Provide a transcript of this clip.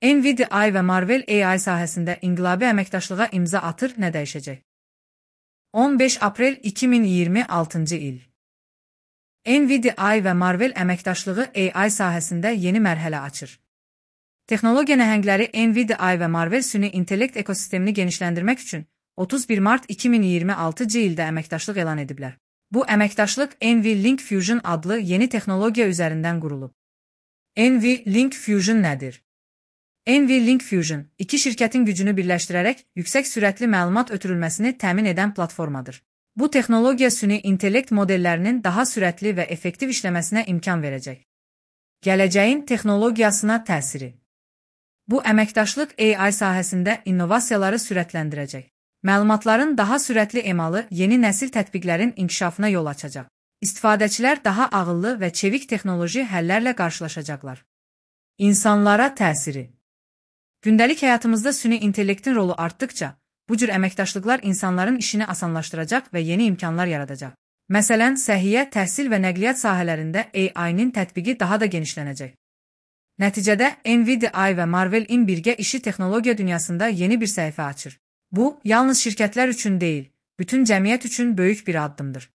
NVIDIA və Marvell AI sahəsində inqilabi əməkdaşlığa imza atır, nə dəyişəcək? 15 aprel 2026-cı il. NVIDIA və Marvell əməkdaşlığı AI sahəsində yeni mərhələ açır. Texnologiya nəhəngləri NVIDIA və Marvell süni intellekt ekosistemini genişləndirmək üçün 31 mart 2026-cı ildə əməkdaşlıq elan ediblər. Bu əməkdaşlıq NVLink Fusion adlı yeni texnologiya üzərindən qurulub. NVLink Fusion nədir? NVLink Fusion, iki şirkətin gücünü birləşdirərək yüksək sürətli məlumat ötürülməsini təmin edən platformadır. Bu texnologiya süni intellekt modellərinin daha sürətli və effektiv işləməsinə imkan verəcək. Gələcəyin texnologiyasına təsiri. Bu əməkdaşlıq AI sahəsində innovasiyaları sürətləndirəcək. Məlumatların daha sürətli emalı yeni nəsil tətbiqlərin inkişafına yol açacaq. İstifadəçilər daha ağıllı və çevik texnoloji həllərlə qarşılaşacaqlar. İnsanlara təsiri. Gündəlik həyatımızda süni intellektin rolu artdıkca, bu cür əməkdaşlıqlar insanların işini asanlaşdıracaq və yeni imkanlar yaradacaq. Məsələn, səhiyyə, təhsil və nəqliyyat sahələrində AI-nin tətbiqi daha da genişlənəcək. Nəticədə NVIDIA və Marvell-in birgə işi texnologiya dünyasında yeni bir səhifə açır. Bu, yalnız şirkətlər üçün deyil, bütün cəmiyyət üçün böyük bir addımdır.